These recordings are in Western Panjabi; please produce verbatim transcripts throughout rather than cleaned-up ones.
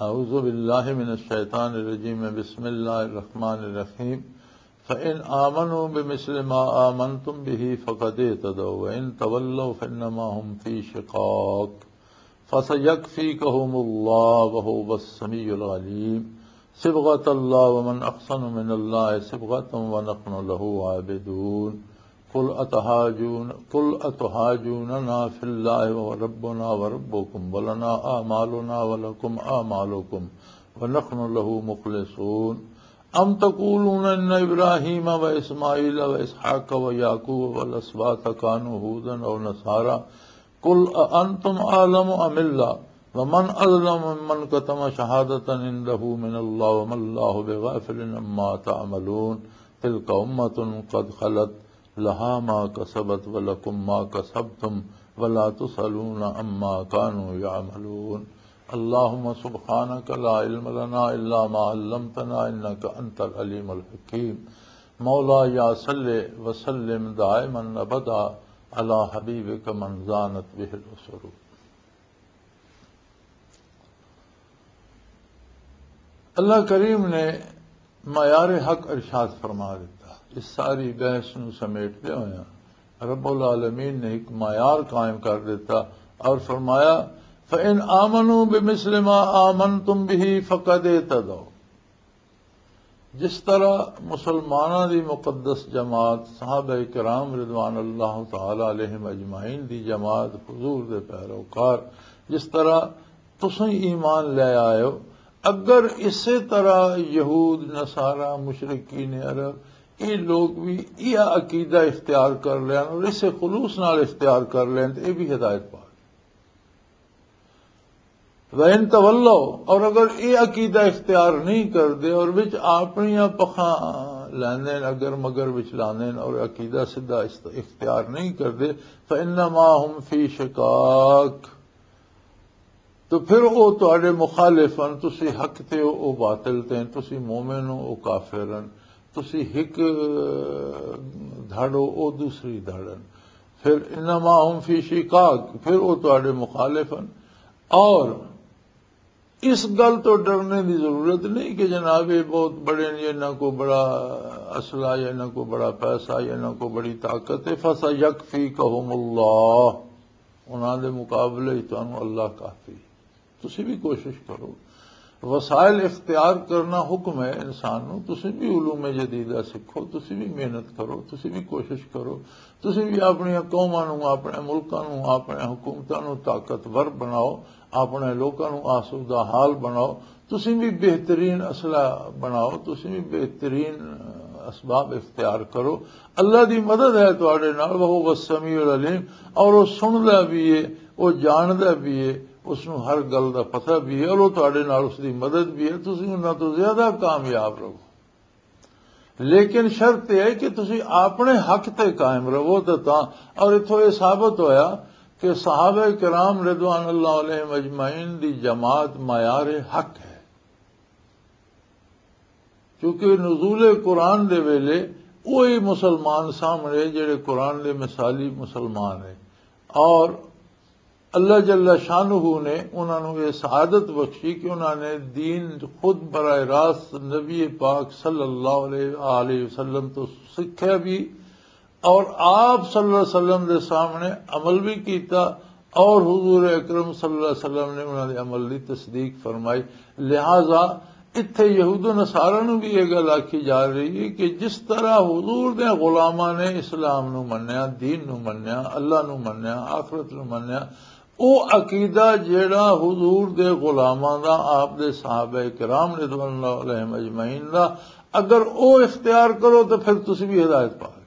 أعوذ بالله من الشيطان الرجيم. بسم الله الرحمن الرحيم. فإن آمنوا بمثل ما آمنتم به فقد اهتدوا وإن تولوا فإنما هم في شقاق فسيكفيكهم الله وهو السميع العليم. صبغة الله ومن أحسن من الله صبغة ونحن له عابدون. قل أتحاجون، قل أتحاجوننا في الله وربنا وربكم ولنا أعمالنا ولكم أعمالكم ونحن له مخلصون. أم تقولون إن إبراهيم وإسماعيل وإسحاق ويعقوب والأسباط كانوا هودا أو نصارى؟ قل أأنتم أعلم أم الله؟ ومن أظلم ممن كتم شهادة عنده من الله وما الله بغافل عما تعملون. تلك أمة قد خلت لها ما كسبت ولكم ما كسبتم ولا تسألون عما كانوا يعملون. اللهم سبحانك لا علم لنا إلا ما علمتنا إنك أنت العليم الحكيم. مولاي صل وسلم دائما أبدا على حبيبك من زانت به الأسر. اللہ کریم نے معیار حق ارشاد فرما دیتا۔ اس ساری بحث نو سمیٹدے ہوئے رب العالمین نے ایک معیار قائم کر دیتا اور فرمایا، فَإِنْ آمَنُوا بِمِثْلِ مَا آمَنْتُمْ بِهِ فَقَدْ اهْتَدَوْا۔ جس طرح مسلماناں دی مقدس جماعت، صحابہ کرام رضوان اللہ تعالی علیہم اجمعین دی جماعت، حضور دے پیروکار، جس طرح تسیں ایمان لے آئے ہو، اگر اسے طرح یہود، نصارہ، مشرکین عرب، یہ لوگ بھی یہ عقیدہ اختیار کر لین اور اسے خلوص نال اختیار کر لین، تو یہ بھی ہدایت پا گئے۔ وَإِن تَوَلَّوْا، اور اگر یہ عقیدہ اختیار نہیں کردے اور وچ اپنیاں پکھاں لیندے، اگر مگر وچ لاندے اور عقیدہ سدھا است-، اختیار نہیں کردے، فَإِنَّمَا هُمْ فِي شِقَاقٍ، تو پھر او تہاڈے مخالف ہن، تسی حق تے ہو، او باطل تے ہن، تسی مومن ہو، او کافر ہن، تسی ہک دھڑ ہو، او دوسری دھڑ ہن۔ پھر انما ہم فی شقاق، پھر او تہاڈے مخالف ہن۔ اور اس گل تو ڈرنے دی ضرورت نہیں کہ جناب یہ بہت بڑے نے، انہاں کو بڑا اسلحہ یا انہاں کو بڑا پیسہ یا انہاں کو بڑی طاقت ہے۔ فَسَيَكْفِيكَهُمُ اللَّهُ، انہاں دے مقابلے وچ تانوں اللہ کافی۔ تسی بھی کوشش کرو، وسائل اختیار کرنا حکم ہے انسان نو۔ تسی بھی علوم جدیدہ سکھو، تسی بھی محنت کرو، تسی بھی کوشش کرو، تسی بھی اپنی قوماں نو، اپنے ملکاں نو، اپنے حکومتاں نو طاقتور بناؤ، اپنے لوکاں نو آسودہ حال بناؤ، تسی بھی بہترین اسلحہ بناؤ، تسی بھی بہترین اسباب اختیار کرو۔ اللہ دی مدد ہے تواڈے نال، وہو السمیع العلیم، اور وہ سندا بھی ہے، وہ جاندا بھی ہے، اس نو ہر گل دا پتہ بھی ہے، اور وہ تواڈے نال اس دی مدد بھی ہے، تسی انہاں تو زیادہ کامیاب رہو۔ لیکن شرط یہ ہے کہ تسی اپنے حق تے قائم رہو تے تاں۔ اور اتھوں یہ ثابت ہویا کہ صحابہ کرام رضوان اللہ علیہم اجمعین دی جماعت معیار حق ہے، کیونکہ نزول قرآن دے ویلے وہی مسلمان سامنے جڑے قرآن دے مثالی مسلمان ہیں، اور اللہ جل شانہ نے انہاں نوں یہ سعادت بخشی کہ انہاں نے دین خود براہ راست نبی پاک صلی اللہ علیہ وآلہ وسلم تو سکھیا بھی، اور آپ صلی اللہ علیہ وسلم دے سامنے عمل بھی کیتا، اور حضور اکرم صلی اللہ علیہ وسلم نے انہاں دے عمل دی تصدیق فرمائی۔ لہذا اتھے یہود و نصارہ نوں بھی یہ گل آکھی جا رہی ہے کہ جس طرح حضور دے غلاماں نے اسلام نوں منیا، دین نوں منیا، اللہ نوں منیا، آخرت نوں منیا، او عقیدہ جیڑا حضور دے غلاماں دا، آپ دے صحابہ کرام رضوان اللہ علیہم اجمعین دا، اگر او اختیار کرو تو پھر تسی بھی ہدایت پا گئے۔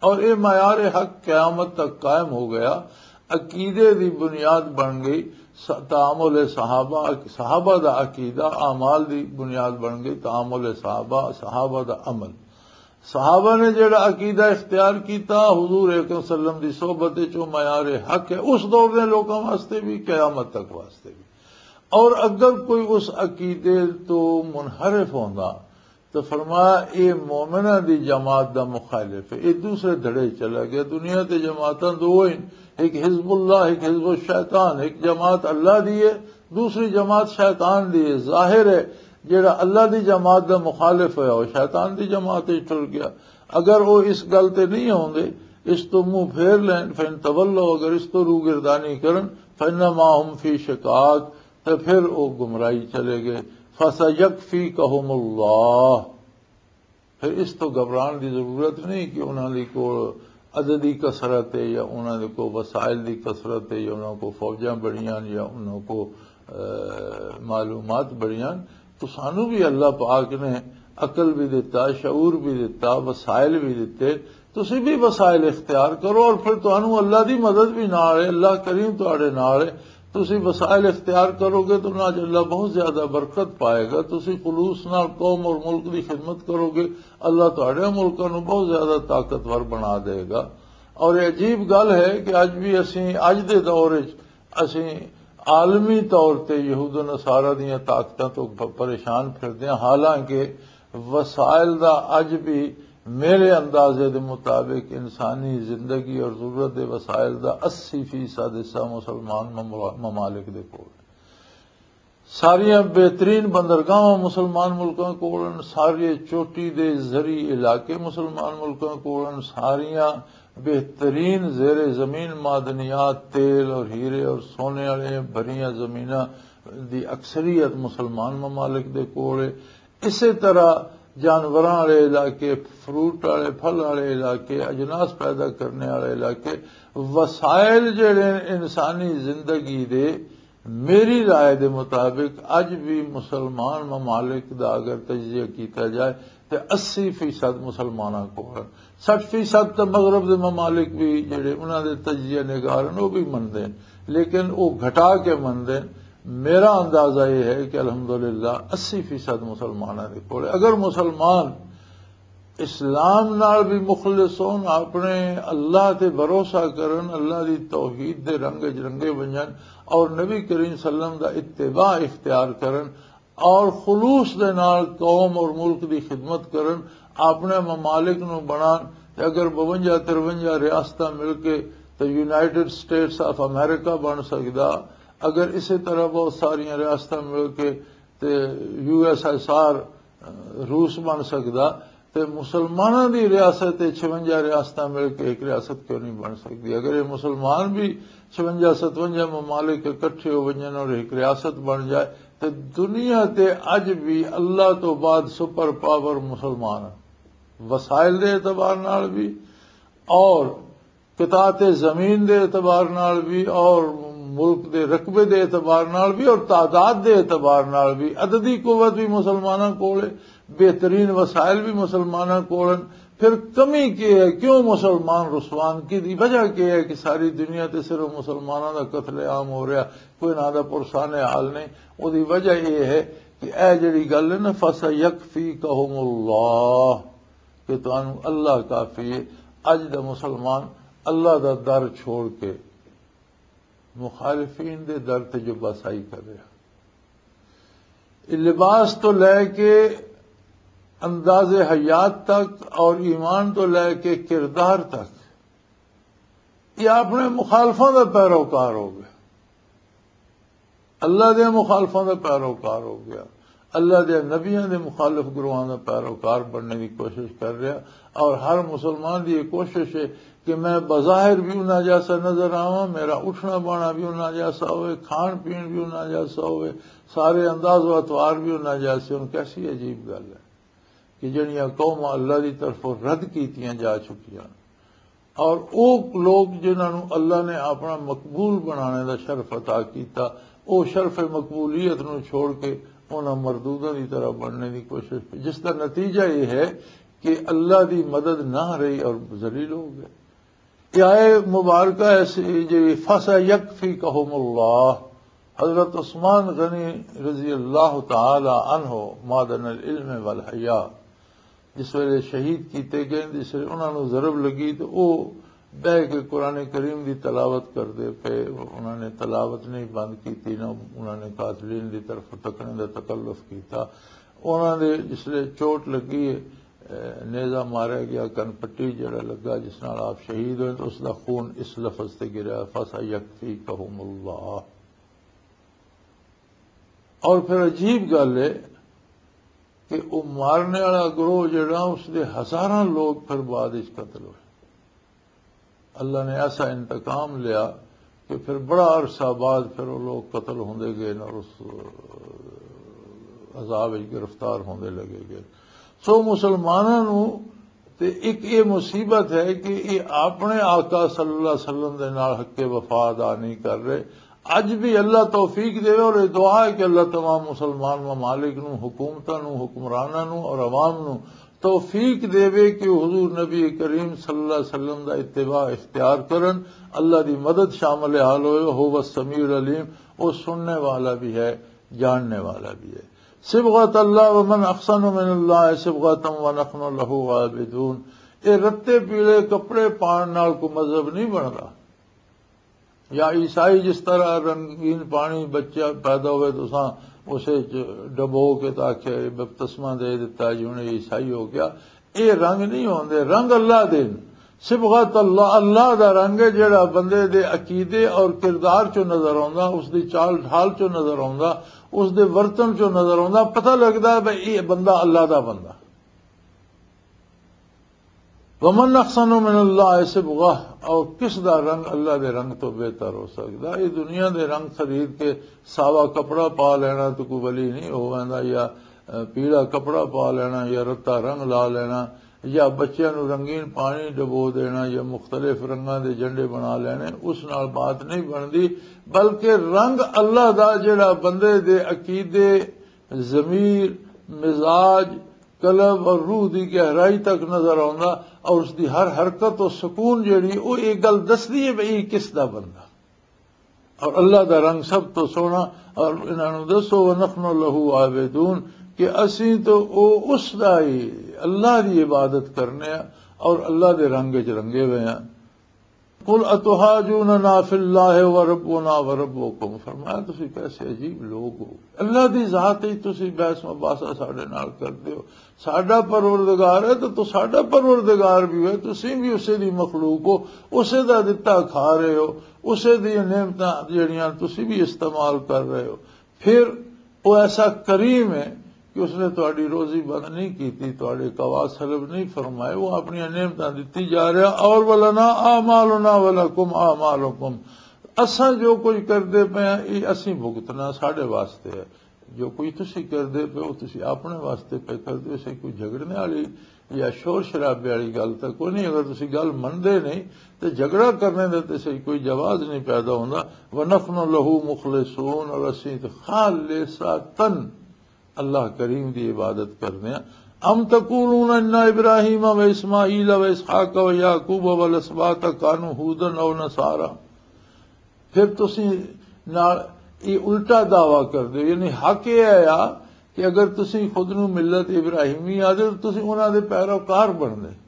اور اے معیار حق قیامت تک قائم ہو گیا، عقیدے دی بنیاد بن گئی۔ س-، تعامل صحابہ، صحابہ دا عقیدہ اعمال دی بنیاد بن گئی، تعامل صحابہ، صحابہ دا عمل۔ صحابہ نے جڑا عقیدہ اختیار کیتا حضور اکرم صلی اللہ علیہ وسلم دی صحبت وچ، او معیار حق ہے اس دور دے لوکاں واسطے بھی، قیامت تک واسطے بھی۔ اور اگر کوئی اس عقیدے تو منحرف ہوندا تو فرمایا، اے مومناں دی جماعت دا مخالف ہے، اے دوسرے دھڑے چلا گیا۔ دنیا تے جماعتاں دو ہن، ایک حزب اللہ، ایک حزب الشیطان۔ ایک جماعت اللہ دی ہے، دوسری جماعت شیطان دی ہے۔ ظاہر ہے، جیڑا اللہ دی جماعت دا مخالف ہویا، وہ شیطان دی جماعت وچ ٹر گیا۔ اگر وہ اس گل تے نہیں ہوندے، اس تو منہ پھیر لین، فَإِن تَوَلَّوْا، اگر اس تو روگردانی کرن، فَإِنَّمَا هُمْ فِي شِقَاقٍ، تے پھر وہ گمراہی چلے گئے۔ فَسَيَكْفِيكَهُمُ اللَّهُ۔ پھر اس تو گھبران دی ضرورت نہیں کہ انہاں دی کول عددی کثرت ہے یا انہاں دے کول وسائل دی کثرت ہے یا انہاں کول فوجاں بڑیاں یا انہاں کول، اے، معلومات بڑیاں۔ تو سانو بھی اللہ پاک نے عقل بھی دتا، شعور بھی دتا، وسائل بھی دتے۔ تسی بھی وسائل اختیار کرو اور پھر تانوں اللہ دی مدد بھی نال ہے، اللہ کریم تہاڈے نال ہے۔ تسی وسائل اختیار کرو گے تو انہاں چ اللہ بہت زیادہ برکت پائے گا۔ تسی خلوص نال قوم اور ملک دی خدمت کرو گے، اللہ تہاڈے ملکاں نوں بہت زیادہ طاقتور بنا دے گا۔ اور یہ عجیب گل ہے کہ اج بھی اسیں، اج دے دور وچ اسیں عالمی طور تے یہود و نصارہ دیاں طاقتاں تو پ-، پریشان پھردے ہاں، حالانکہ وسائل دا اج بھی میرے اندازے دے مطابق انسانی زندگی اور ضرورت دے وسائل دا اسی فیصد حصہ مسلمان مملا-، ممالک دے کول۔ ساریاں بہترین بندرگاہاں مسلمان ملکاں کول ہن، سارے چوٹی دے زرعی علاقے مسلمان ملکاں کول ہن، ساریاں بہترین زیر زمین معدنیات، تیل اور ہیرے اور سونے والے بھریاں زمیناں دی اکثریت مسلمان ممالک دے کول ہے۔ اسی طرح جانوراں والے علاقے، فروٹ والے، پھل والے علاقے، اجناس پیدا کرنے والے علاقے، وسائل جڑے انسانی زندگی دے، میری رائے دے مطابق اج بھی مسلمان ممالک دا اگر تجزیہ کیتا جائے تے اسی فیصد مسلماناں کول ہن۔ سٹھ فیصد تے مغرب دے ممالک بھی جڑے انہاں دے تجزیہ نگار ہن، وہ بھی مندے ہن، لیکن وہ گھٹا کے مندے ہن۔ میرا اندازہ یہ ہے کہ الحمدللہ اسی فیصد مسلماناں دے کول۔ اگر مسلمان اسلام نال بھی مخلص ہون، اپنے اللہ تے بھروسہ کرن، اللہ دی توحید دے رنگ وچ رنگے ونجن اور نبی کریم صلی اللہ علیہ وسلم دا اتباع اختیار کرن اور خلوص دے نال قوم اور ملک دی خدمت کرن، اپنے ممالک نو بنان۔ تے اگر بونجا ترونجا ریاستاں مل کے تے یونائیٹڈ سٹیٹس آف امریکہ بن سکدا، اگر اسی طرح بہت ساریاں ریاستاں مل کے تے یو ایس ایس آر روس بن سکدا، تے مسلماناں دی ریاست تے چھونجا ریاستاں مل کے ایک ریاست کیوں نہیں بن سکدی؟ اگر یہ مسلمان بھی چھونجا ستونجا ممالک اکٹھے ہو ونجن اور ایک ریاست بن جائے، تے دنیا تے اج بھی اللہ تو بعد سپر پاور مسلمان ہیں، وسائل دے اعتبار نال بھی اور قطاعت زمین دے اعتبار نال بھی اور ملک دے رقبے دے اعتبار نال بھی اور تعداد دے اعتبار نال بھی۔ عددی قوت بھی مسلماناں کول ہے، بہترین وسائل بھی مسلماناں کول ہیں۔ پھر کمی کی ہے؟ کیوں مسلمان رسوان کی دی وجہ کی ہے کہ ساری دنیا تے صرف مسلماناں دا قتل عام ہو رہا، کوئی نہ دا پرسان حال نہیں؟ او دی وجہ یہ ہے کہ اے جڑی گل ہے نا، فَسَيَكْفِيكَهُمُ اللَّهُ، کہ تانوں اللہ کافی ہے۔ اج دا مسلمان اللہ دا در چھوڑ کے مخالفین دے در تے جو بسائی کر رہا، لباس تو لے کے انداز حیات تک اور ایمان تو لے کے کردار تک، یہ اپنے مخالفوں دا پیروکار ہو گیا۔ اللہ دے مخالفاں دا پیروکار ہو گیا، اللہ دے نبیاں دے مخالف گروہاں دا پیروکار بننے دی کوشش کر رہا۔ اور ہر مسلمان دی یہ کوشش ہے کہ میں بظاہر بھی انہاں جیسا نظر آواں، میرا اٹھنا بانا بھی انہاں جیسا ہوئے، کھان پین بھی انہاں جیسا ہوئے، سارے انداز و اطوار بھی انہاں جیسے ہون۔ کیسی عجیب گل ہے کہ جڑیاں قوماں اللہ دی طرفوں رد کیتیاں جا چکیاں، اور او لوگ جنہاں نوں اللہ نے اپنا مقبول بنانے دا شرف عطا کیتا، او شرف مقبولیت نوں چھوڑ کے انہاں مردوداں دی طرح بننے دی کوشش کی، جس دا نتیجہ یہ ہے کہ اللہ دی مدد نہ رہی اور ذلیل ہو گئے۔ یہ آئے مبارکہ ایسی جی، فَسَيَكْفِيكَهُمُ اللَّهُ۔ حضرت عثمان غنی رضی اللہ تعالی عنہ، معدن العلم والحیاء، جس ویلے شہید کیتے گئے، جس ویلے انہاں نوں ضرب لگی تو او بہ کے قرآن کریم دی تلاوت کردے پے۔ انہاں نے تلاوت نہیں بند کیتی، نہ انہاں نے قاتلین دی طرف تکنے دا تکلف کیتا۔ انہاں دے جس ویلے چوٹ لگی ہے، اے، نیزہ ماریا گیا، کن پٹی جڑا لگا جس نال آپ شہید ہوئے، تو اس دا خون اس لفظ تے گریا، فَسَيَكْفِيكَهُمُ اللَّهُ۔ اور پھر عجیب گل ہے کہ وہ مارنے والا گروہ جڑا، اس دے ہزاراں لوگ پھر بعد وچ قتل ہوئے۔ اللہ نے ایسا انتقام لیا کہ پھر بڑا عرصہ بعد پھر وہ لوگ قتل ہوندے گئے اور اس عذاب وچ گرفتار ہوندے لگے گئے۔ سو مسلماناں نو تے ایک یہ مصیبت ہے کہ یہ اپنے آقا صلی اللہ علیہ وسلم دے نال حق وفا ادا نہیں کر رہے۔ اج بھی اللہ توفیق دے، اور یہ دعا ہے کہ اللہ تمام مسلمان ممالک نو، حکومتاں نو، حکمراناں نو اور عوام نو توفیق دے کہ حضور نبی کریم صلی اللہ علیہ وسلم دا اتباع اختیار کرن۔ اللہ دی مدد شامل حال ہوئے، هو السمیع العلیم، وہ سننے والا بھی ہے، جاننے والا بھی ہے۔ صبغت اللہ، ومن احسن من اللہ صبغتا ونحن لہ عابدون۔ اے رتے پیلے کپڑے پان نال کوئی مذہب نہیں بندا۔ یا عیسائی جس طرح رنگین پانی بچہ پیدا ہوئے تو اساں اسے چ ڈبو کے تاکہ بپتسمہ دے دیتا جی انہیں عیسائی ہو گیا۔ اے رنگ نہیں ہوندے، رنگ اللہ دے نے۔ صبغت اللہ، اللہ دا رنگ ہے جڑا بندے دے عقیدے اور کردار چوں نظر آوندا، اس دی چال ڈھال چوں نظر آوندا، اس دے ورتن چوں نظر آوندا، پتہ لگدا ہے بھئی یہ بندہ اللہ دا بندہ۔ ومن احسن من اللہ صبغہ، اور کس دا رنگ اللہ دے رنگ تو بہتر ہو سکدا؟ یہ دنیا دے رنگ خرید کے ساوا کپڑا پا لینا تو کوئی ولی نہیں ہو ویندا، یا، اے، پیلا کپڑا پا لینا، یا رتا رنگ لا لینا، یا بچیاں نو رنگین پانی ڈبو دینا، یا مختلف رنگاں دے جنڈے بنا لینے، اس نال بات نہیں بندی۔ بلکہ رنگ اللہ دا جڑا بندے دے عقیدے، ضمیر، مزاج، قلب اور روح دی گہرائی تک نظر آوندا، اور اس دی ہر حرکت و سکون جڑی، او ایک گل دسدی ہے بھئی یہ کس دا بندہ۔ اور اللہ دا رنگ سب تو سوہنا۔ اور انہاں نوں دسو، "ونحن لہ عابدون"، کہ اسیں تو او اس دا ہی، اللہ دی عبادت کرنے ہاں اور اللہ دے رنگ وچ رنگے ہوئے ہاں۔ "قل اتحاجوننا فی اللہ وربنا وربکم"، فرمایا، "تسی کیسے عجیب لوگ ہو، اللہ دی ذات وچ تسی بحث مباحثہ ساڈے نال کردے ہو، ساڈا پروردگار ہے تو، تو ساڈا پروردگار بھی ہے، تسی بھی اسے دی مخلوق ہو، اسے دا دتا کھا رہے ہو، اسے دی نعمتاں جڑیاں تسی بھی استعمال کر رہے ہو۔" پھر وہ ایسا کریم ہے کہ اس نے تہاڈی روزی بند نہیں کیتی، تہاڈے قوات سلب نہیں فرمائے، وہ اپنی نعمتاں دتی جا رہا۔ اور "ولنا اعمالنا ولکم اعمالکم"، اساں جو کچھ کردے پے ہیں، یہ اسیں بھگتنا، ساڈے واسطے ہے۔ جو کچھ تسی کردے پے ہو، تسی اپنے واسطے پے کردے ہو، اسے کوئی جھگڑنے والی یا شور شرابے والی گل تاں کوئی نہیں۔ اگر تسی گل مندے نہیں تے جھگڑا کرنے دا تے صحیح کوئی جواز نہیں پیدا ہوندا۔ "ونحن لہ مخلصون"، اور اسیں تے خالصتاً اللہ کریم دی عبادت کرنے ہاں۔ "ام تقولون ان ابراہیم و اسماعیل و اسحاق و یعقوب و الاسباط کانوا ہودن او نصارا"، پھر تسی نال یہ الٹا دعویٰ کر دے، یعنی حق یہ ہے آ کہ اگر تسی خود نو ملت ابراہیمی آدھے تو تسی انہاں دے پیروکار بن دے۔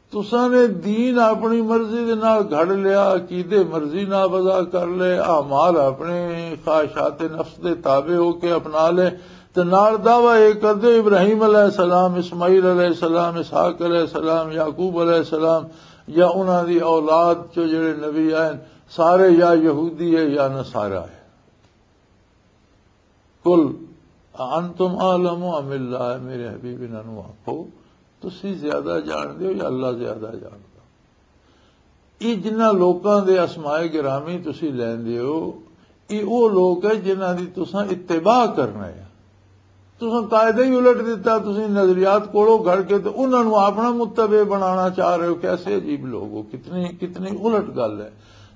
تساں نے دین اپنی مرضی دے نال گھڑ لیا، عقیدے مرضی نافذہ کر لے، اعمال اپنے خواہشات نفس دے تابع ہو کے اپنا لے، تے نال دعویٰ یہ کر دے ابراہیم علیہ السلام، اسماعیل علیہ السلام، اسحاق علیہ السلام، یعقوب علیہ السلام، یا انہاں دی اولاد چو جڑے نبی آئے، سارے یا یہودی ہے یا نصارا ہے۔ "قل اانتم اعلم ام اللہ"، میرے حبیب، انہاں نوں آکھو، تسی زیادہ جان دے ہو یا اللہ زیادہ جاندا؟ یہ جنہاں لوکاں دے اسماء گرامی تسی لیندے ہو، یہ وہ لوگ ہے جنہاں دی تساں اتباع کرنا ہے۔ تساں قاعدہ ہی الٹ دیتا، تساں نظریات کولوں گھڑ کے تے انہاں نوں اپنا متبع بنانا چاہ رہے ہو۔ کیسے عجیب لوگ ہو، کتنی، کتنی الٹ گل ہے۔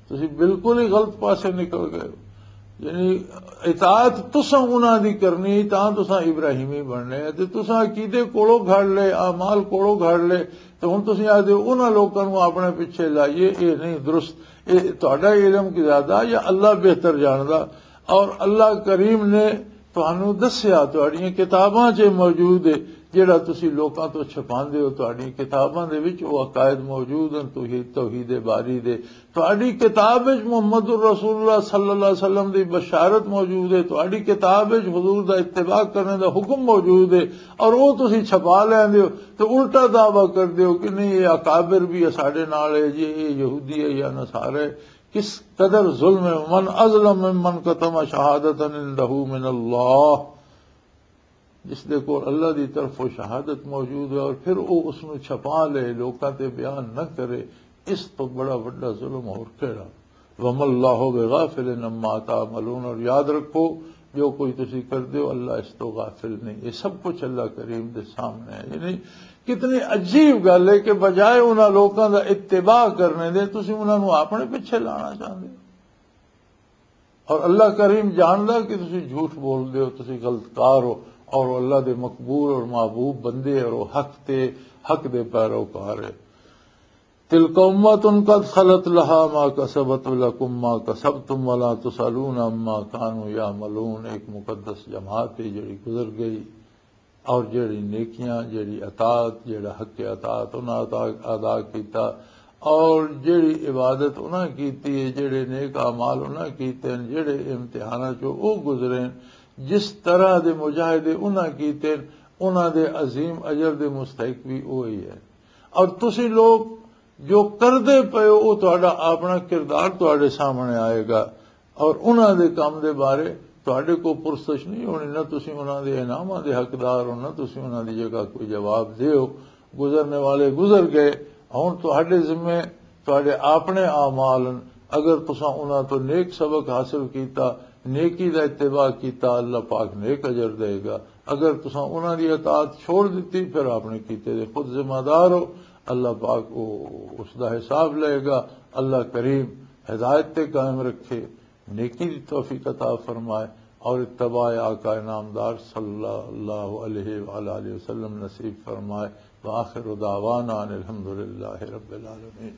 تساں بالکل ہی غلط پاسے نکل گئے ہو۔ یعنی اطاعت تساں انہاں دی کرنی، تاں تساں ابراہیمی بننے، تے تساں عقیدے کولوں گھڑ لے، اعمال کولوں گھڑ لے، تے ہن تساں آدھے ہو انہاں لوکاں نوں اپنے پیچھے لائیے، اے نہیں درست، اے تہاڈا علم کی زیادہ یا اللہ بہتر جاندا۔ اور اللہ کریم نے تانوں دسیا، تہاڈیاں کتاباں 'چ موجود ہے، جڑا تسی لوکاں تو چھپاندے ہو۔ تہاڈیاں کتاباں دے وچ او عقائد موجود ہیں، توحید، توحید باری دے۔ تہاڈی کتاب وچ محمد الرسول اللہ صلی اللہ علیہ وسلم دی بشارت موجود ہے، تہاڈی کتاب وچ حضور دا اتباع کرنے دا حکم موجود ہے، اور او تسی چھپا لیندے ہو تے الٹا دعویٰ کردے ہو کہ نہیں، یہ اکابر بھی ہے ساڈے نال ہے جی، یہ یہودی ہے یا نصارہ ہے۔ کس قدر ظلم ہے۔ من اظلم ممن کتم شہادت عندہ من اللہ، جس دے کول اللہ دی طرف وہ شہادت موجود ہے اور پھر وہ اس نو چھپا لے، لوکاں تے بیان نہ کرے، اس تو بڑا وڈا ظلم اور کیڑا؟ وما اللہ بغافل عما تعملون، اور یاد رکھو، جو کوئی تسی کر دیو، اللہ اس تو غافل نہیں۔ یہ سب کچھ اللہ کریم دے سامنے ہے۔ یعنی کتنی عجیب گل ہے کہ بجائے انہاں لوکاں دا اتباع کرنے دے، تسی انہاں نو اپنے پیچھے لانا چاہندے ہو۔ اور اللہ کریم جاندا کہ تسی جھوٹ بول دے ہو، تسی غلط کار ہو، اور اللہ دے مقبول اور محبوب بندے اور وہ حق تے، حق دے پیروکار ہے۔ تلک امۃ قد خلت لہا ما کسبت ولکم ما کسبتم ولا تسألون عما کانوا یعملون۔ ایک مقدس جماعت ہے جڑی گزر گئی، اور جڑی نیکیاں، جڑی اطاعت، جڑا حق اطاعت انہاں ادا، ادا کیتا، اور جڑی عبادت انہاں کیتی ہے، جڑے نیک اعمال انہاں کیتے ہیں، جڑے امتحاناں چوں او گزرے ہیں، جس طرح دے مجاہدے انہاں کیتے ہیں، انہاں دے عظیم اجر دے مستحق بھی وہی ہے۔ اور تسی لوگ جو کردے پئے ہو، وہ تہاڈا اپنا کردار تہاڈے سامنے آئے گا، اور انہاں دے کم دے بارے تہاڈے کو پرسش نہیں ہونی، نہ تسی انہاں دے انعاماں دے حقدار ہو، نہ تسی انہاں دی جگہ کوئی جواب دیو۔ گزرنے والے گزر گئے، ہن تہاڈے ذمے تہاڈے اپنے اعمال ہن۔ اگر تساں انہاں تو نیک سبق حاصل کیتا، نیکی دا اتباع کیتا، اللہ پاک نیک اجر دے گا۔ اگر تساں انہاں دی اطاعت چھوڑ دتی، پھر اپنے کیتے دے خود ذمہ دار ہو۔ اللہ پاک او، اس دا حساب لے گا۔ اللہ کریم ہدایت تے قائم رکھے، نیکی دی توفیق عطا فرمائے، اور اتباع آقا نامدار صلی اللہ علیہ وآلہ وسلم نصیب فرمائے۔ وآخر دعوانا ان الحمد للہ رب العالمین۔